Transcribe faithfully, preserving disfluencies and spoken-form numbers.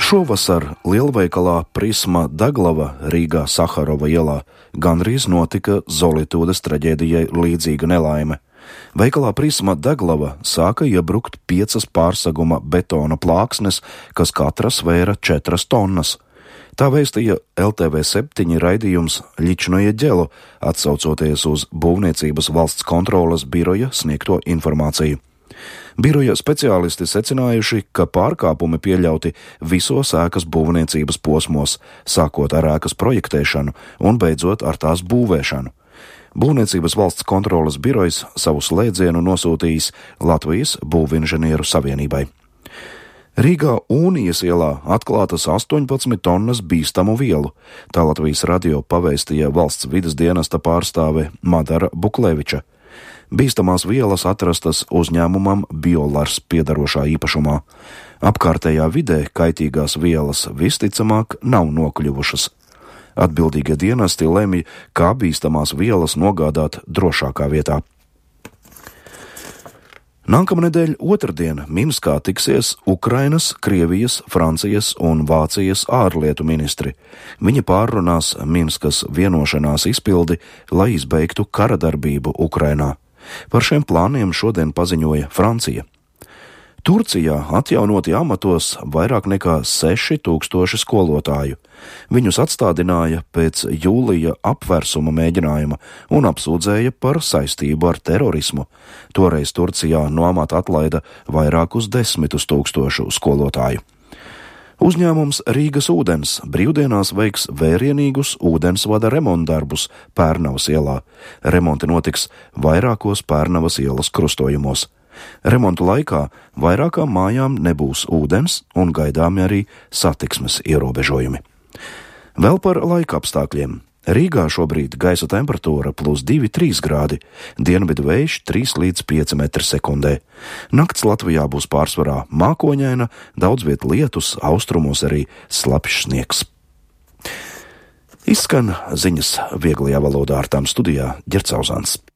Šovasar lielveikalā Prisma Daglava Rīgā Saharova ielā gandrīz notika Zolitūdes traģēdijai līdzīga nelaime. Veikalā Prisma Daglava sāka iebrukt piecas pārseguma betona plāksnes, kas katra svēra četras tonnas. Tā vēstīja L T V septiņi raidījums Ļičnoja ģelo, atsaucoties uz Būvniecības valsts kontroles biroja sniegto informāciju. Biroja speciālisti secinājuši, ka pārkāpumi pieļauti visos ēkas būvniecības posmos, sākot ar ēkas projektēšanu un beidzot ar tās būvēšanu. Būvniecības valsts kontroles birojs savu slēdzienu nosūtījis Latvijas Būvinženieru savienībai. Rīgā Unijas ielā atklātas astoņpadsmit tonnas bīstamu vielu, tā Latvijas radio pavēstīja valsts vides dienesta pārstāve Madara Bukleviča. Bīstamās vielas atrastas uzņēmumam Biolars piedarošā īpašumā. Apkārtējā vidē kaitīgās vielas visticamāk nav nokļuvušas. Atbildīgie dienesti lemj, kā bīstamās vielas nogādāt drošākā vietā. Nākamnedēļ otrdien Minskā tiksies Ukrainas, Krievijas, Francijas un Vācijas ārlietu ministri. Viņi pārrunās Minskas vienošanās izpildi, lai izbeigtu karadarbību Ukrainā. Par šiem plāniem šodien paziņoja Francija. Turcijā atjaunoti amatos vairāk nekā seši tūkstoši skolotāju. Viņus atstādināja pēc jūlija apvērsuma mēģinājuma un apsūdzēja par saistību ar terorismu. Toreiz Turcijā no amata atlaida vairākus desmitus tūkstošu skolotāju. Uzņēmums Rīgas ūdens brīvdienās veiks vērienīgus ūdensvada remontdarbus Pērnavas ielā. Remonti notiks vairākos Pērnavas ielas krustojumos. Remontu laikā vairākām mājām nebūs ūdens un gaidāmi arī satiksmes ierobežojumi. Vēl par laika apstākļiem. Rīgā šobrīd gaisa temperatūra plus divi trīs grādi, dienvidu vējš trīs līdz pieci metri sekundē. Nakts Latvijā būs pārsvarā mākoņaina, daudz viet lietus, austrumos arī slapjš sniegs. Izskan ziņas vieglajā valodā, ar tām studijā Ģercauzāns.